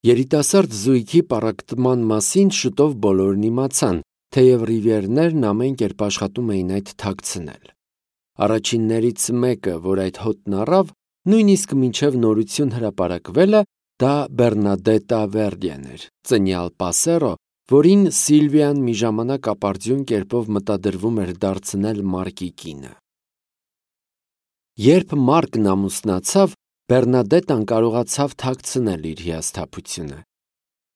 Երիտասարդ զույգի պառակտման մասին շուտով բոլորն իմացան, թեև Ռիվիերներն ամեն կերպ աշխատում էին այդ թաքցնել։ Առաջիններից մեկը, որ այդ հոտն առավ, նույնիսկ մինչև նորություն հրապարակվելը, դա Բեռնադետտա Վերդիեն էր, ծնյալ Պասերո, որին Սիլվիան մի ժամանակ ապարդյուն կերպով մտադրվում էր դարձնել Մարկի կինը։ Երբ Մարկն ամուսնացավ, Բեռնադետտան կարողացավ թաքցնել իր հիասթափությունը։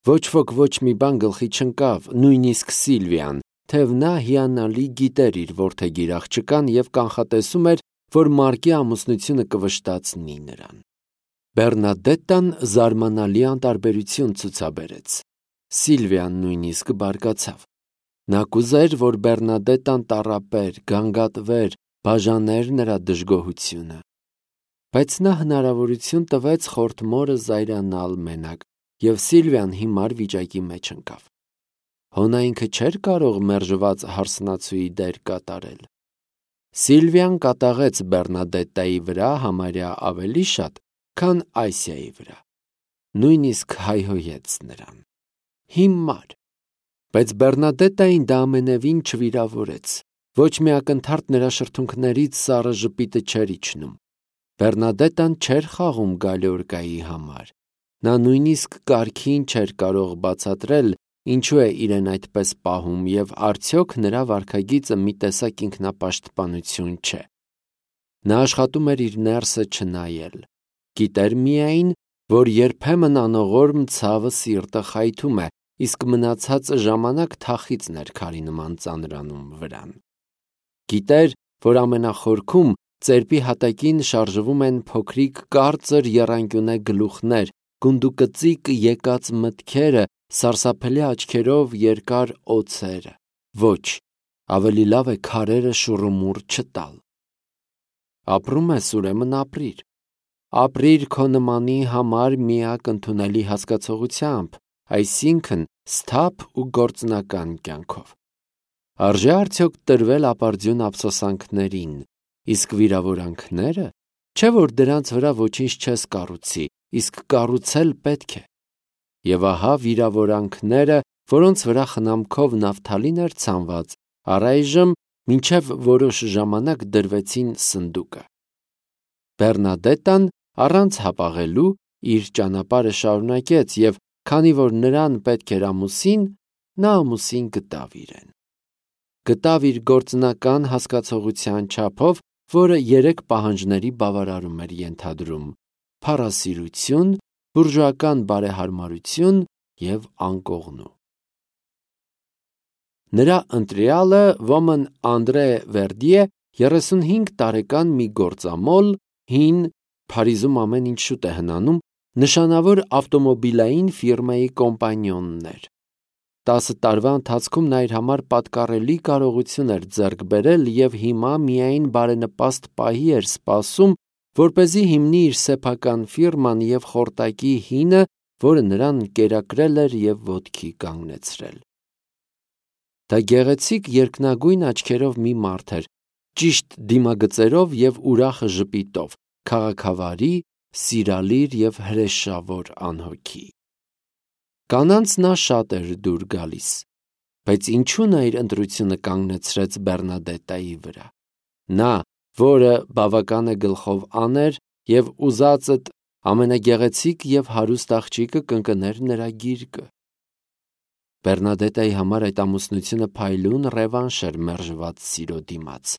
Ոչ ոք ոչ մի բան գլխի չընկավ, նույնիսկ Սիլվիան, թեև նա հիանալի գիտեր իր որդեգիր աղջկան և կանխատեսում էր, որ Մարկի ամուսնությունը կվշտացնի նրան։ Բեռնադետտան զարմանալի անտարբերություն ցուցաբերեց։ Սիլվիան նույնիսկ բարկացավ։ Նա կուզեր, որ Բեռնադետտան տառապեր, գանգատվեր, բաժաներ նրա դժգոհությունը։ Բայց նա հնարավորություն տվեց խորթ մորը զայրանալ մենակ, և Սիլվիան հիմար վիճակի մեջ ընկավ։ Հո նա ինքը չէր կարող մերժված հարսնացուի դեր կատարել։ Սիլվիան կատաղեց Բեռնադետտայի վրա համարյա ավելի շատ, քան Այսիայի վրա։ Նույնիսկ հայհոյեց նրան։ Հիմար։ Բայց Բեռնադետտային դա ամենևին չվիրավորեց։ Ոչ մի ակնթարթ նրա շրթունքներից սառը ժպիտը չէր իջնում։ Բեռնադետտան չէր խաղում գալիորկայի համար։ Նա նույնիսկ կարգին չէր կարող բացատրել, ինչու է իրեն այդպես պահում, և արդյոք նրա վարքագիծը մի տեսակ ինքնապաշտպանություն չէ։ Նա աշխատում էր իր ներսը չնայել։ Գիտեր միայն, որ երբեմն անողորմ ցավը սիրտը խայթում է, իսկ մնացածը ժամանակ թախիծն էր քարի նման ծանրանում վրան։ Գիտեր, որ ամենախորքում ծերպի հատակին շարժվում են փոքրիկ կարծր եռանկյունե գլուխներ, գունդուկծիկ եկած մտքերը, սարսափելի աչքերով երկար օձերը։ Ոչ, ավելի լավ է քարերը շուռումուռ չտալ։ Ապրում ես, ուրեմն ապրիր։ Ապրիր քո նմանի համար միակ ընդունելի հասկացողությամբ, այսինքն սթափ ու գործնական կյանքով։ Արժե արդյոք տրվել ապարդյուն ափսոսանքներին, իսկ վիրավորանքները, չէ՞ որ դրանց վրա ոչինչ չես կառուցի, իսկ կառուցել պետք է։ Եվ ահա վիրավորանքները, որոնց վրա խնամքով նավթալին էր ցանված, առայժմ մինչև որոշ ժամանակ դրվեցին սնդուկը։ Բեռնադետտան առանց հապաղելու իր ճանապարհը շարունակեց, և քանի որ նրան պետք էր ամուսին, նա ամուսին գտավ իրեն։ Գտավ իր գործնական հասկացողության չափով, որը 3 պահանջների բավարարում էր ենթադրում՝ փառասիրություն, բուրժուական բարեհարմարություն և անկողնու։ Նրա ընտրյալը ոմն Անդրե Վերդիե 35 տարեկան մի գործամոլ, հին, Փարիզում ամեն ինչ շուտ է հնանում, նշանավոր ավտոմոբիլային ֆիրմայի կոմպանիոնն էր։ 10 տարվա ընթացքում նա իր համար պատկառելի կարողություն էր ձեռք բերել և հիմա միայն բարենպաստ պահի էր սպասում, որպեսզի հիմնի իր սեփական ֆիրման և խորտակի հինը, որը նրան կերակրել էր և ոտքի կանգնեցրել։ Դա գեղեցիկ երկնագույն աչքերով մի մարդ էր, ճիշտ դիմագծերով և ուրախ ժպիտով, քաղաքավարի, սիրալիր և հրեշավոր անհոգի։ Կանանց նա շատ էր դուր գալիս, բայց ինչու նա իր ընտրությունը կանգնեցրեց Բեռնադետտայի վրա։ Նա, որը բավական է գլխով աներ և ուզածդ ամենագեղեցիկ և հարուստ աղջիկը կընկներ նրա գիրկը։ Բեռնադետտայի համար այդ ամուսնությունը փայլուն ռևանշ էր մերժված սիրո դիմաց։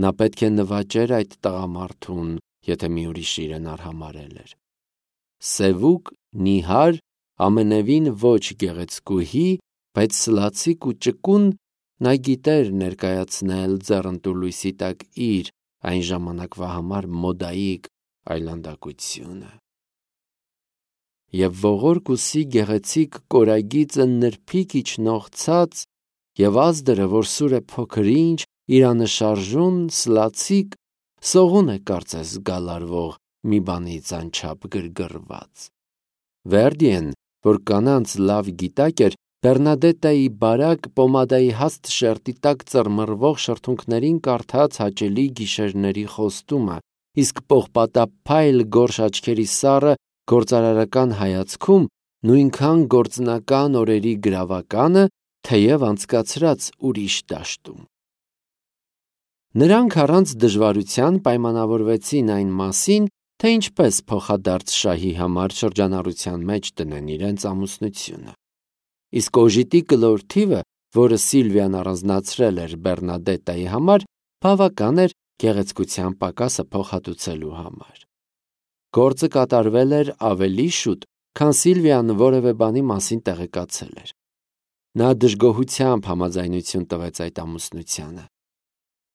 Նա պետք է նվաճեր այդ տղամարդուն, եթե մի ուրիշ իրեն արհամարհել էր։ Սևուկ, նիհար, ամենևին ոչ գեղեցկուհի, բայց սլացիկ ու ճկուն, նա գիտեր ներկայացնել ձեռնտու լույսի տակ իր այն ժամանակվա համար մոդայիկ այլանդակությունը։ Եվ ողորկ ուսի գեղեցիկ կորագիծը նրբիկ իջնող ցած, և ազդրը, որ սուր է փոքր-ինչ, իրանշարժուն, սլացիկ, սողուն է կարծես գալարվող մի բանից անչափ գրգռված։ Վերդիեն, որ կանանց լավ գիտակ էր, Բեռնադետտայի բարակ պոմադայի հաստ շերտի տակ ծռմռվող շրթունքներին կարդաց հաճելի գիշերների խոստումը, իսկ պողպատափայլ գորշ աչքերի սառը գործարարական հայացքում նույնքան գործնական օրերի գրավականը, թեև անցկացրած ուրիշ դաշտում։ Նրանք առանց դժվարության պայմանավորվեցին այն մասին, թե ինչպես փոխադարձ շահի համար շրջանառության մեջ տնեն իրենց ամուսնությունը։ Իսկ օժիտի կլոր թիվը, որը Սիլվիան առանձնացրել էր Բեռնադետայի համար, բավական էր գեղեցկության պակասը փոխհատուցելու համար։ Գործը կատարվել էր ավելի շուտ, քան Սիլվիան որևէ բանի մասին տեղեկացել էր։ Նա դժգոհությամբ համաձայնություն տվեց այդ ամուսնությանը։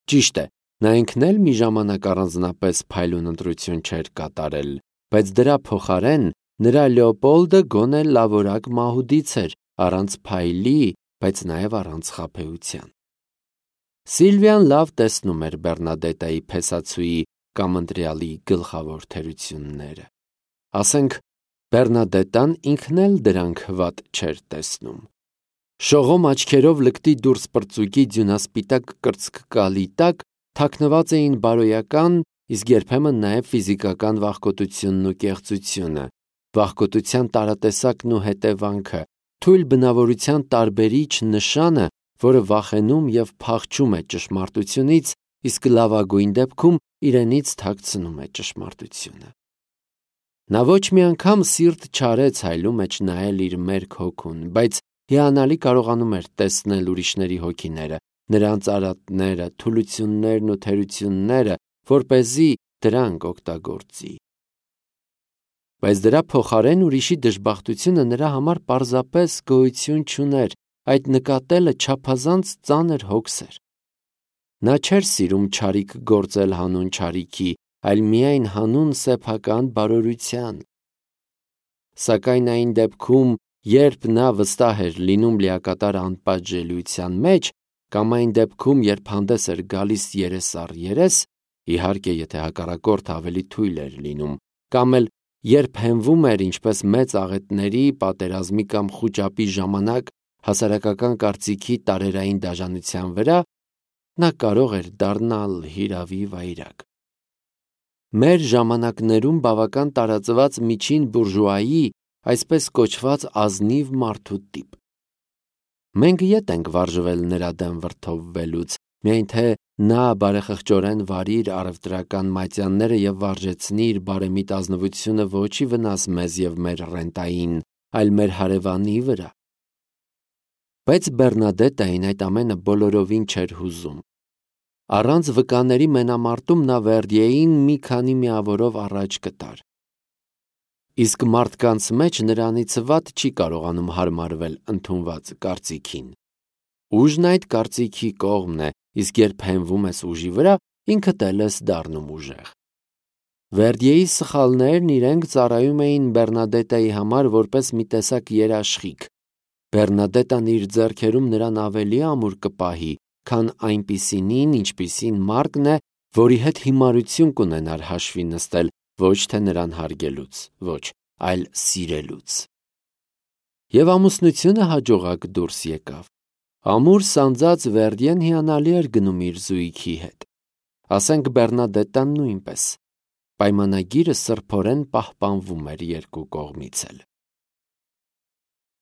Ճիշտ է, նա ինքն էլ մի ժամանակ առանձնապես փայլուն ընտրություն չէր կատարել, բայց դրա փոխարեն նրա Լեոպոլդը գոնե լավորակ մահուդից էր, առանց փայլի, բայց նաև առանց խաբեության։ Սիլվիան լավ տեսնում էր Բեռնադետայի փեսացուի կամ ընտրյալի գլխավոր թերությունները։ Ասենք, Բեռնադետան ինքն էլ դրանք վատ չէր տեսնում։ Շողոմ աչքերով լկտի դուրս պրծուկի ձյունասպիտակ կրծքկալի տակ թաքնված էին բարոյական, իսկ երբեմն նաև ֆիզիկական վախկոտությունն ու կեղծությունը, վախկոտության տարատեսակն ու հետևանքը, թույլ բնավորության տարբերիչ նշանը, որը վախենում և փախչում է ճշմարտությունից, իսկ լավագույն դեպքում իրենից թաքցնում է ճշմարտությունը։ Նա ոչ մի անգամ սիրտ չարեց հայլու մեջ նայել իր մերկ հոգուն, բայց հիանալի կարողանում էր տեսնել ուրիշների հոգիները, նրանց արատները, թուլություններն ու թերությունները, որպեսզի դրանք օգտագործի։ Բայց դրա փոխարեն ուրիշի դժբախտությունը նրա համար պարզապես գոյություն չուներ, այդ նկատելը չափազանց ծանր հոգս էր։ Նա չէր սիրում չարիք գործել հանուն չարիքի, այլ միայն հանուն սեփական բարօրության։ Սակայն այն դեպքում, երբ նա վստահ էր լինում լիակատար անպատժելիության մեջ, կամ այն դեպքում, երբ հանդես էր գալիս երես առ երես, իհարկե, եթե հակառակորդը ավելի թույլ էր լինում, կամ էլ երբ հենվում էր ինչպես մեծ աղետների, պատերազմի կամ խուճապի ժամանակ հասարակական կարծիքի տարերային դաժանության վրա, նա կարող էր դառնալ հիրավի վայրագ։ Մեր ժամանակներում բավական տարածված միջին բուրժուայի, այսպես կոչված ազնիվ մարդու տիպ։ Մենք ետ ենք վարժվել նրա դեմ վրդովվելուց, միայն թե նա բարեխղճորեն վարի իր առևտրական մատյանները և վարժեցնի իր բարեմիտ ազնվությունը ոչ ի վնաս մեզ և մեր ռենտային, այլ մեր հարևանի վրա։ Բայց Բեռնադետային այդ ամենը բոլորովին չէր հուզում։ Առանց վկաների մենամարտում նա Վերդիեին մի քանի միավորով առաջ կտար։ Իսկ մարդկանց մեջ նրանից վատ չի կարողանում հարմարվել ընդունված կարծիքին։ Ուժն այդ կարծիքի կողմն է, իսկ երբ հենվում ես ուժի վրա, ինքդ էլ ես դառնում ուժեղ։ Վերդիեի սխալներն իրենք ծառայում էին Բեռնադետայի համար որպես մի տեսակ երաշխիք։ Բեռնադետան իր ձեռքերում նրան ավելի ամուր կպահի, քան այնպիսինին, ինչպիսին Մարկն է, որի հետ հիմարություն կունենար հաշվի նստել ոչ թե նրան հարգելուց, ոչ, այլ սիրելուց։ Եվ ամուսնությունը հաջողակ դուրս եկավ։ Ամուր սանձած Վերդիեն հիանալի էր գնում իր զույգի հետ։ Ասենք Բեռնադետան նույնպես։ Պայմանագիրը սրբորեն պահպանվում էր երկու կողմից էլ։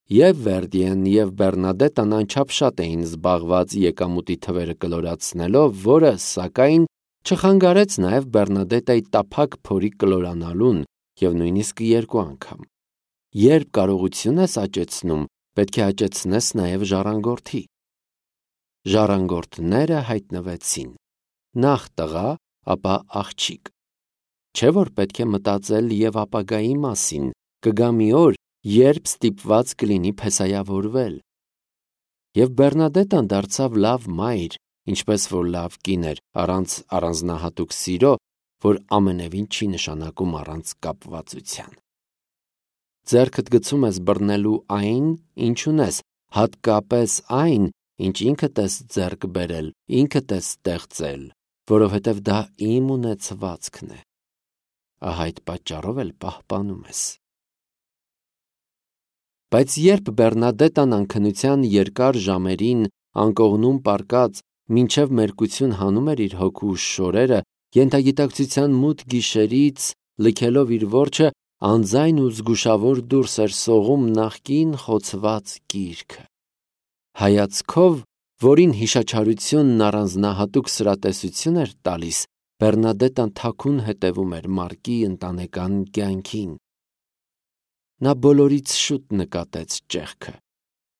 Եվ Վերդիեն և Բեռնադետան անչափ շատ էին զբաղված եկամուտի թվերը կլորացնելով, որը, սակայն, չխանգարեց նաև Բեռնադետայի տափակ փորի կլորանալուն և նույնիսկ երկու անգամ։ Երբ կարողություն ես աճեցնում, պետք է աճեցնես նաև ժառանգորդի։ Ժառանգորդները հայտնվեցին։ Նախ տղա, ապա աղջիկ։ Չէ՞ որ պետք է մտածել և ապագայի մասին, կգա մի օր, երբ ստիպված կլինի փեսայավորվել։ Եվ Բեռնադետան դարձավ լավ մայր, ինչպես որ լավ կին էր, առանց առանձնահատուկ սիրո, որ ամենևին չի նշանակում առանց կապվածության։ Ձեռքդ գցում ես բռնելու այն, ինչ ունես, հատկապես այն, ինչ ինքդ ես ձեռք բերել, ինքդ ես ստեղծել, որովհետև դա իմ ունեցվածքն է։ Ահա այդ պատճառով էլ պահպանում ես։ Բայց երբ Բեռնադետան անքնության երկար ժամերին անկողնում պառկած մինչև մերկություն հանում էր իր հոգու շորերը, ենթագիտակցության մութ գիշերից լքելով իր որջը, անձայն ու զգուշավոր դուրս էր սողում նախկին խոցված գիրքը։ Հայացքով, որին հիշաչարությունն առանձնահատուկ սրատեսություն էր տալիս, Բեռնադետան թաքուն հետևում էր Մարկի ընտանեկան կյանքին։ Նա բոլորից շուտ նկատեց ճեղքը,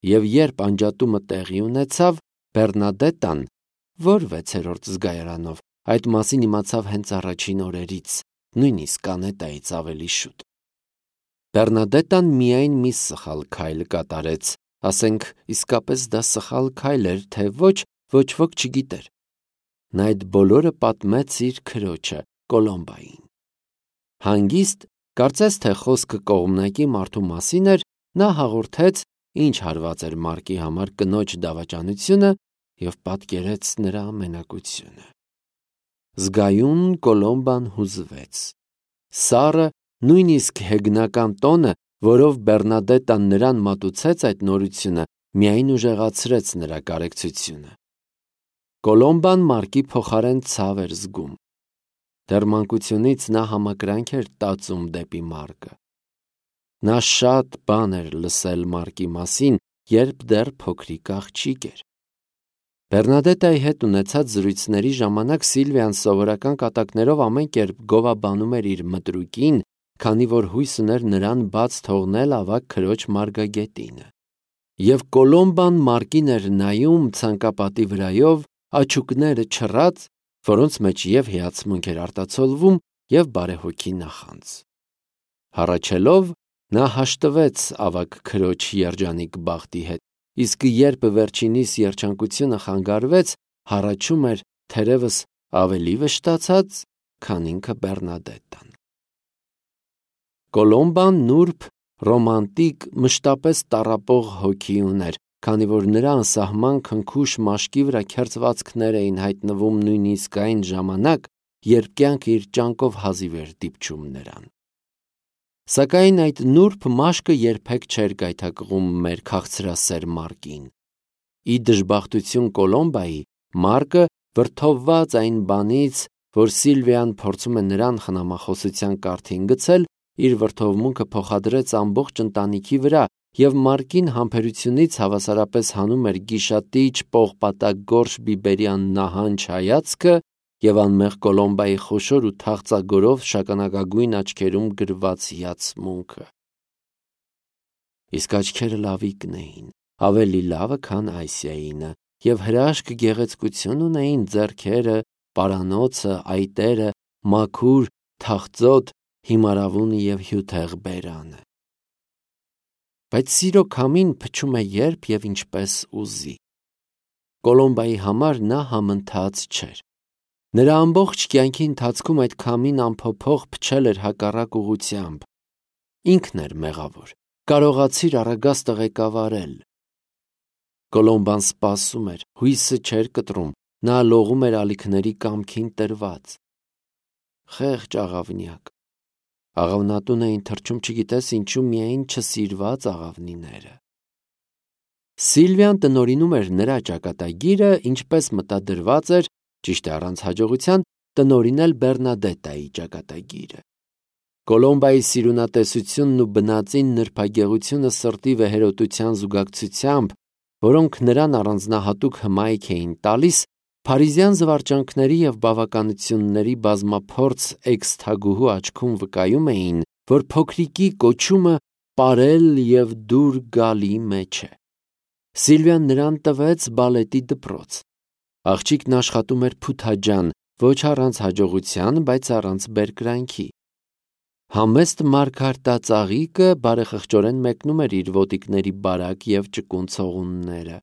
և երբ անջատումը տեղի ունեցավ, Բեռնադետան, որ 6-րդ զգայարանով, այդ մասին իմացավ հենց առաջին օրերից, նույնիսկ Անետայից ավելի շուտ։ Բեռնադետան միայն մի սխալ քայլ կատարեց, ասենք իսկապես դա սխալ քայլ էր, թե ոչ, ոչ ոք չգիտեր։ Նա այդ բոլորը պատմեց իր քրոջը Կոլոմբային։ Հանգիստ, կարծես թե խոսքը կողմնակի մարդու մասին էր, նա հաղորդեց, ինչ հարված էր Մարկի համար կնոջ դավաճանությունը և պատկերեց նրա մենակությունը։ Զգայուն Կոլոմբան հուզվեց։ Սառը, նույնիսկ հեգնական տոնը, որով Բեռնադետան նրան մատուցեց այդ նորությունը, միայն ուժեղացրեց նրա կարեկցությունը։ Կոլոմբան Մարկի փոխարեն ցավ էր զգում։ Դեռ մանկությունից նա համակրանք էր տածում դեպի Մարկը։ Նա շատ բան էր լսել Մարկի մասին, երբ դեռ փոքրիկ աղջիկ էր։ Բեռնադետայի հետ ունեցած զրույցների ժամանակ Սիլվիան սովորական կատակներով ամեն կերպ գովաբանում էր իր մտրուկին, քանի որ հույս ուներ նրան բաց թողնել ավագ քրոջ մարգագետինը։ Եվ Կոլոմբան Մարկին էր նայում ցանկապատի վրայով, աչուկները չռած, որոնց մեջ և հիացմունք էր արտացոլվում, և բարեհոգի նախանձ։ Հառաչելով, նա հաշտվեց ավագ քրոջ երջանիկ բախտի հետ, իսկ երբ վերջինիս երջանկությունը խանգարվեց, հառաչում էր թերևս ավելի վշտացած, քան ինքը Բեռնադետան։ Կոլոմբան նուրբ, ռոմանտիկ, մշտապես տառապող հոգի ուներ, քանի որ նրա անսահման քնքուշ մաշկի վրա քերծվածքներ էին հայտնվում նույնիսկ այն ժամանակ, երբ կյանքը իր ճանկով հազիվ էր դիպչում նրան։ Սակայն այդ նուրբ մաշկը երբեք չէր գայթակղում մեր քաղցրասեր Մարկին։ Ի դժբախտություն Կոլոմբայի, Մարկը, վրդովված այն բանից, որ Սիլվիան փորձում է նրան խնամախոսության կարգին գցել, իր վրդովմունքը փոխադրեց ամբողջ ընտանիքի վրա և Մարկին համբերությունից հավասարապես հանում էր գիշատիչ պողպատագորշ բիբերյան նահանջ հայացքը և անմեղ Կոլոմբայի խոշոր ու թախծագորով շագանակագույն աչքերում գրված հիացմունքը։ Իսկ աչքերը լավիկն էին, ավելի լավը, քան Ասիայինը, և հրաշք գեղեցկություն ունեին ձեռքերը, պարանոցը, այտերը, մաքուր, թախծոտ, հիմարավունը և հյութեղ բերանը։ Բայց սիրո քամին փչում է երբ և ինչպես ուզի։ Կոլոմբայի համար նա համընթաց չէր։ Նրա ամբողջ կյանքի ընթացքում այդ քամին անփոփոխ փչել էր հակառակ ուղղությամբ։ Ինքն էր մեղավոր, կարողացիր առագաստը ղեկավարել։ Կոլոմբան սպասում էր, հույսը չէր կտրում, նա լողում էր ալիքների կամքին տրված։ Խեղճ աղավնյակ։ Աղավնատուն էին թռչում չգիտես ինչու միայն չսիրված աղավնիները։ Սիլվիան տնօրինում էր նրա ճակատագիրը, ինչպես մտադրված էր, ճիշտ է առանց հաջողության, տնօրինել Բեռնադետայի ճակատագիրը։ Կոլոմբայի սիրունատեսությունն ու բնածին նրբագեղությունը սրտի վեհերոտության զուգակցությամբ, որոնք նրան առանձնահատուկ հմայք էին տալիս, փարիզյան զվարճանքների և բավականությունների բազմափորձ էքս-թագուհու աչքում վկայում էին, որ փոքրիկի կոչումը պարել և դուր գալի մեջ է։ Սիլվիան նրան տվեց բալետի դպրոց։ Աղջիկն աշխատում էր փութաջան, ոչ առանց հաջողության, բայց առանց բերկրանքի։ Համեստ մարգարտածաղիկը բարեխղճորեն մեկնում էր իր ոտիկների բարակ և ճկուն ցողունները։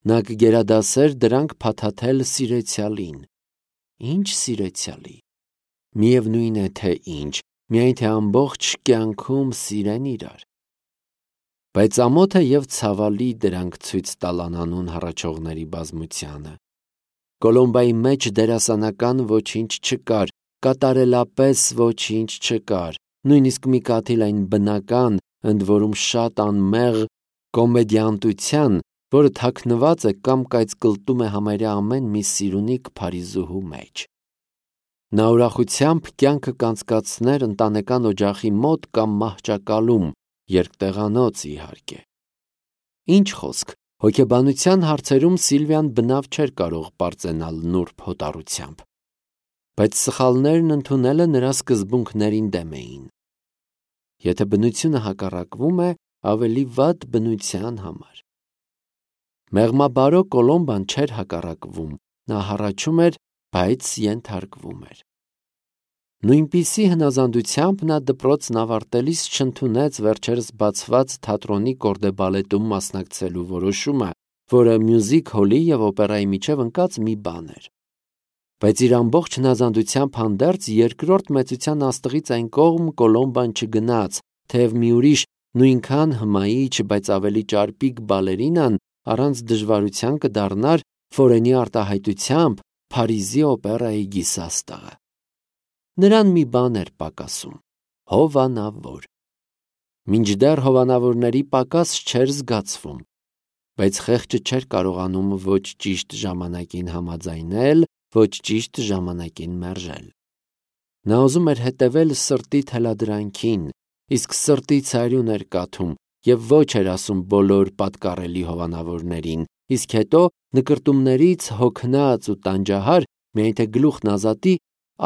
Նա կգերադասեր դրանք փաթաթել սիրեցյալին։ Ինչ սիրեցյալի։ Միևնույն է, թե ինչ, միայն թե ամբողջ կյանքում սիրեն իրար։ Բայց ամոթ է և ցավալի դրանք ցույց տալ անանուն հառաչողների բազմությանը։ Կոլոմբայի մեջ դերասանական ոչինչ չկար, կատարելապես ոչինչ չկար, նույնիսկ մի կաթիլ այն բնական, ընդ որում շատ անմեղ կոմեդիանտության, որը թաքնված է կամ կայծկլտում է համարյա ամեն մի սիրունիկ փարիզուհու մեջ։ Նա ուրախությամբ կյանքը կանցկացներ ընտանեկան օջախի մոտ կամ մահճակալում, երկտեղանոց իհարկե։ Ինչ խոսք, հոգեբանության հարցերում Սիլվիան բնավ չէր կարող պարծենալ նուրբ հոտառությամբ, բայց սխալներն ընդունելը նրա սկզբունքներին դեմ էին։ Եթե բնությունը հակառակվում է, ավելի վատ բնության համար։ Մեղմաբարո Կոլոմբան չէր հակառակվում, նա հառաչում էր, բայց ենթարկվում էր։ Նույնպիսի հնազանդությամբ նա դպրոցն ավարտելիս չընդունեց վերջերս բացված թատրոնի կորդեբալետում մասնակցելու որոշումը, որը մյուզիկ հոլի և օպերայի միջև ընկած մի բան էր։ Բայց իր ամբողջ հնազանդությամբ հանդերձ երկրորդ մեծության աստղից այն կողմ Կոլոմբան չգնաց, թեև մի ուրիշ նույնքան հմայիչ, բայց ավելի ճարպիկ բալերինան առանց դժվարության կդառնար Ֆորենի արտահայտությամբ Փարիզի օպերայի գիսաստղը։ Նրան մի բան էր պակասում՝ հովանավոր։ Մինչդեռ հովանավորների պակաս չէր զգացվում, բայց խեղճը չէր կարողանում ոչ ճիշտ ժամանակին համաձայնել, ոչ ճիշտ ժամանակին մերժել։ Նա ուզում էր հետևել սրտի թելադրանքին, իսկ սրտի ցայրուն էր կաթում և ոչ էր ասում բոլոր պատկառելի հովանավորներին, իսկ հետո նկրտումներից հոգնած ու տանջահար, միայն թե գլուխն ազատի,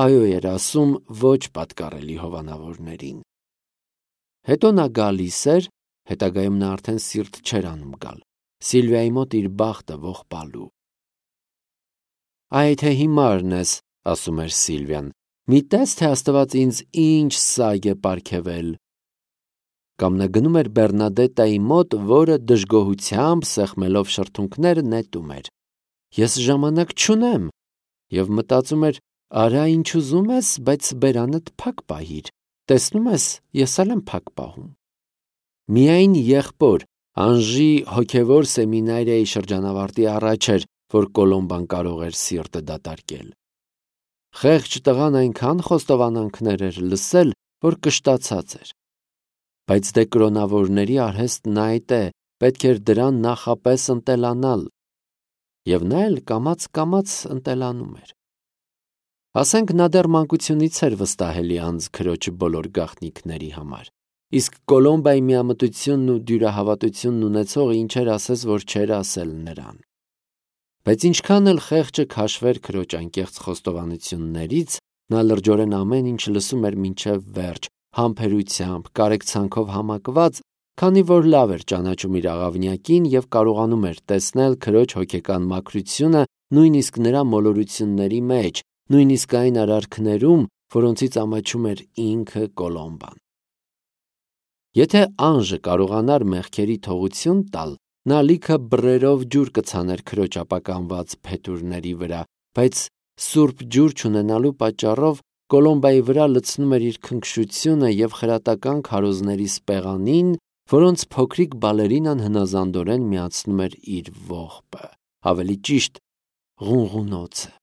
այո էր ասում ոչ պատկառելի հովանավորներին։ Հետո նա գալիս էր, հետագայում նա արդեն սիրտ չէր անում գալ, Սիլվիայի մոտ իր բախտը ողբալու։ «Այ թե հիմարն ես», ասում էր Սիլվիան, «մի տես, թե Աստված ինձ ինչ սայգ է պարգևել»։ Կամ նա գնում էր Բեռնադետայի մոտ, որը դժգոհությամբ սեղմելով շրթունքները նետում էր. «Ես ժամանակ չունեմ», և մտածում էր. «Արա ինչ ուզում ես, բայց բերանդ փակ պահիր, տեսնում ես, ես էլ եմ փակ պահում»։ Միայն եղբոր Անժի հոգևոր սեմինարիայի շրջանավարտի առաջ էր, որ Կոլոմբան կարող էր սիրտը դատարկել։ Խեղճ տղան այնքան խոստովանանքներ էր լսել, որ կշտացած էր։ Բայց դե կրոնավորների արհեստն այդ է, պետք էր դրան նախապես ընտելանալ։ Եվ նա էլ կամաց-կամաց ընտելանում էր։ Ասենք նա դեռ մանկությունից էր վստահելի անձ քրոջ բոլոր գաղտնիքների համար, իսկ Կոլոմբայի միամտությունն ու դյուրահավատությունն ունեցողը ինչեր ասես, որ չէր ասել նրան։ Բայց ինչքան էլ խեղճը քաշվեր քրոջ անկեղծ խոստովանություններից, նա լրջորեն ամեն ինչ լսում էր մինչև վերջ, համբերությամբ, կարեկցանքով համակված, քանի որ լավ էր ճանաչում իր աղավնյակին և կարողանում էր տեսնել քրոջ հոգեկան մաքրությունը նույնիսկ նրա մոլորությունների մեջ, նույնիսկ այն արարքներում, որոնցից ամաչում էր ինքը Կոլոմբան։ Եթե Անժը կարողանար մեղքերի թողություն տալ, նա լիքը բռերով ջուր կցաներ քրոջ ապականված փետուրների վրա, բայց սուրբ ջուր չունենալու պատճառով Կոլոմբայի վրա լցնում էր իր քնքշությունը և խրատական քարոզների սպեղանին, որոնց փոքրիկ բալերինան հնազանդորեն միացնում էր իր ողբը, ավելի ճիշտ ղունղունոցը։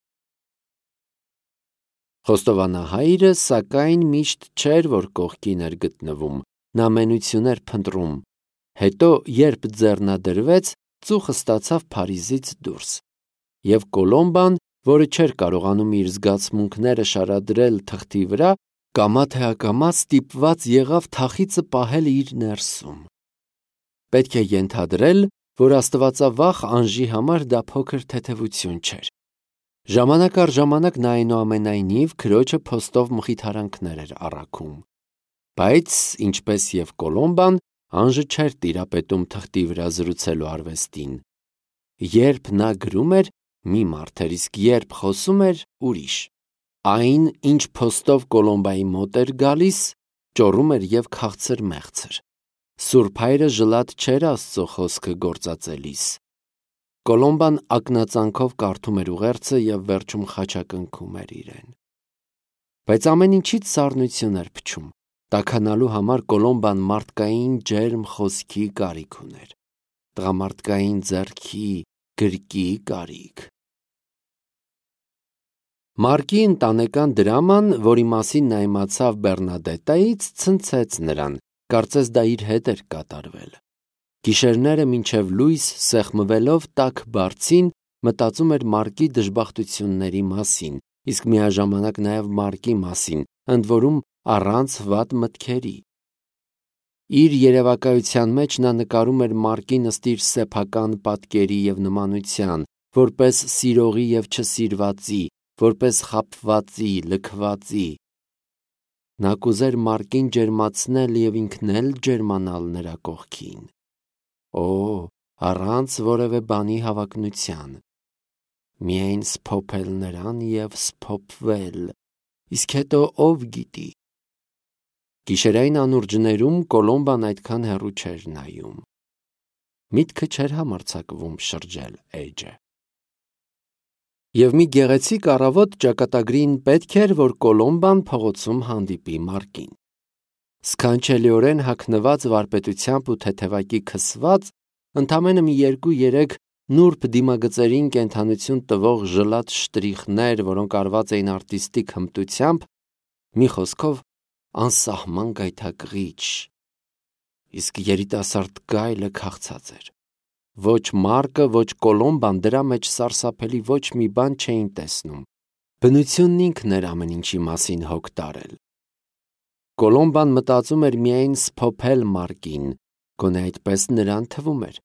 Խոստովանահայրը, սակայն, միշտ չէր, որ կողքին էր գտնվում, նա մենություն էր փնտրում։ Հետո, երբ ձեռնադրվեց, ծուխը ստացավ Փարիզից դուրս։ Եվ Կոլոմբան, որը չէր կարողանում իր զգացմունքները շարադրել թղթի վրա, կամա թե ակամա ստիպված եղավ թախիծը պահել իր ներսում։ Պետք է ենթադրել, որ աստվածավախ Անժի համար դա փոքր թեթևություն չէր։ Ժամանակ առ ժամանակ նա այնուամենայնիվ քրոջը փոստով մխիթարանքներ էր առաքում։ Բայց, ինչպես և Կոլոմբան, Անժը չէր տիրապետում թղթի վրա զրուցելու արվեստին։ Երբ նա գրում էր, մի մարդ էր, իսկ երբ խոսում էր, ուրիշ։ Այն, ինչ փոստով Կոլոմբայի մոտ էր գալիս, ճոռում էր և քաղցր-մեղցր։ Սուրբ Հայրը ժլատ չէր Աստծո խոսքը գործածելիս։ Կոլոմբան ակնածանքով կարդում էր ուղերձը և վերջում խաչակնքում էր իրեն։ Բայց ամեն ինչից սառնություն էր փչում։ Տաքանալու համար Կոլոմբան մարդկային ջերմ խոսքի կարիք ուներ։ Տղամարդկային ձեռքի, գրկի կարիք։ Մարկի ընտանեկան դրաման, որի մասին նա իմացավ Բեռնադետայից, ցնցեց նրան, կարծես դա իր հետ էր կատարվել։ Գիշերները մինչև լույս սեղմվելով տաք բարձին մտածում էր Մարկի դժբախտությունների մասին, իսկ միաժամանակ նաև Մարկի մասին, ընդ որում առանց վատ մտքերի։ Իր երևակայության մեջ նա նկարում էր Մարկին ըստ իր սեփական պատկերի և նմանության, որպես սիրողի և չսիրվածի, որպես խաբվածի, լքվածի։ Նա կուզեր Մարկին ջերմացնել և ինքն էլ ջերմանալ նրա կողքին։ Օ, առանց որևէ բանի հավակնության։ Միայն սփոփել նրան և սփոփվել, իսկ հետո ով գիտի։ Գիշերային անուրջներում Կոլոմբան այդքան հեռու չէր նայում։ Միտքը չէր համարձակվում շրջել էջը։ Եվ մի գեղեցիկ առավոտ ճակատագրին պետք էր, որ Կոլոմբան փողոցում հանդիպի Մարկին։ Սքանչելիորեն հագնված վարպետությամբ ու թեթևակի քսված, ընդամենը մի 2-3 նուրբ դիմագծերին կենդանություն տվող ժլատ շտրիխներ, որոնք արված էին արտիստիկ հմտությամբ, մի խոսքով անսահման գայթակղիչ, իսկ երիտասարդ գայլը քաղցած էր։ Ոչ Մարկը, ոչ Կոլոմբան դրա մեջ սարսափելի ոչ մի բան չէին տեսնում։ Բնությունն ինքն էր ամեն ինչի մասին հոգ տարել։ Կոլոմբան մտածում էր միայն սփոփել Մարկին, գոնե այդպես նրան թվում էր։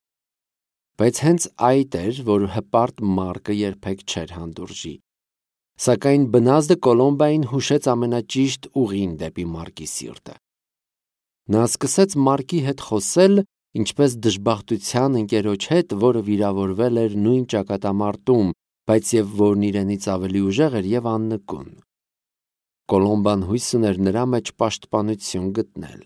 Բայց հենց այդ էր, որ հպարտ Մարկը երբեք չէր հանդուրժի։ Սակայն բնազդը Կոլոմբային հուշեց ամենաճիշտ ուղին դեպի Մարկի սիրտը։ Նա սկսեց Մարկի հետ խոսել, ինչպես դժբախտության ընկերոջ հետ, որը վիրավորվել էր նույն ճակատամարտում, բայց և որն իրենից ավելի ուժեղ էր և աննկուն։ Կոլոմբան հույս ուներ նրա մեջ պաշտպանություն գտնել։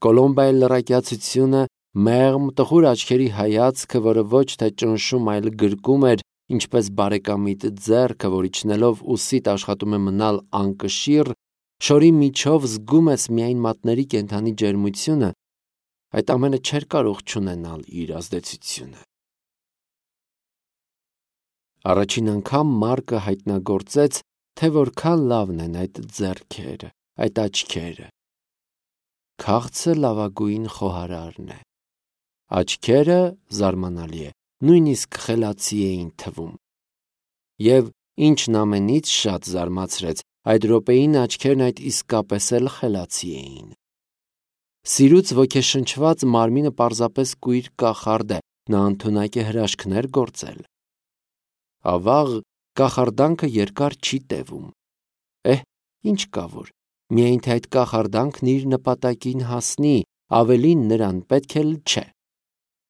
Կոլոմբայի լռակյացությունը, մեղմ, տխուր աչքերի հայացքը, որը ոչ թե ճնշում, այլ գրկում էր, ինչպես բարեկամիդ ձեռքը, որ իջնելով ուսիդ աշխատում է մնալ անկշիռ, շորի միջով զգում ես միայն մատների կենդանի ջերմությունը, այդ ամենը չէր կարող չունենալ իր ազդեցությունը։ Առաջին անգամ Մարկը հայտնագործեց, թե որքան լավն են այդ ձեռքերը, այդ աչքերը։ Քաղցը լավագույն խոհարարն է։ Աչքերը, զարմանալի է, նույնիսկ խելացի էին թվում։ Եվ ինչն ամենից շատ զարմացրեց, այդ րոպեին աչքերն այդ իսկապես էլ խելացի էին։ Սիրուց ոգեշնչված մարմինը պարզապես կույր կախարդ է, նա ընդունակ է հրաշքներ գործել։ Ավաղ, կախարդանքը երկար չի տևում։ Ինչ կա որ, միայն թե այդ կախարդանքն իր նպատակին հասնի, ավելին նրան պետք էլ չէ։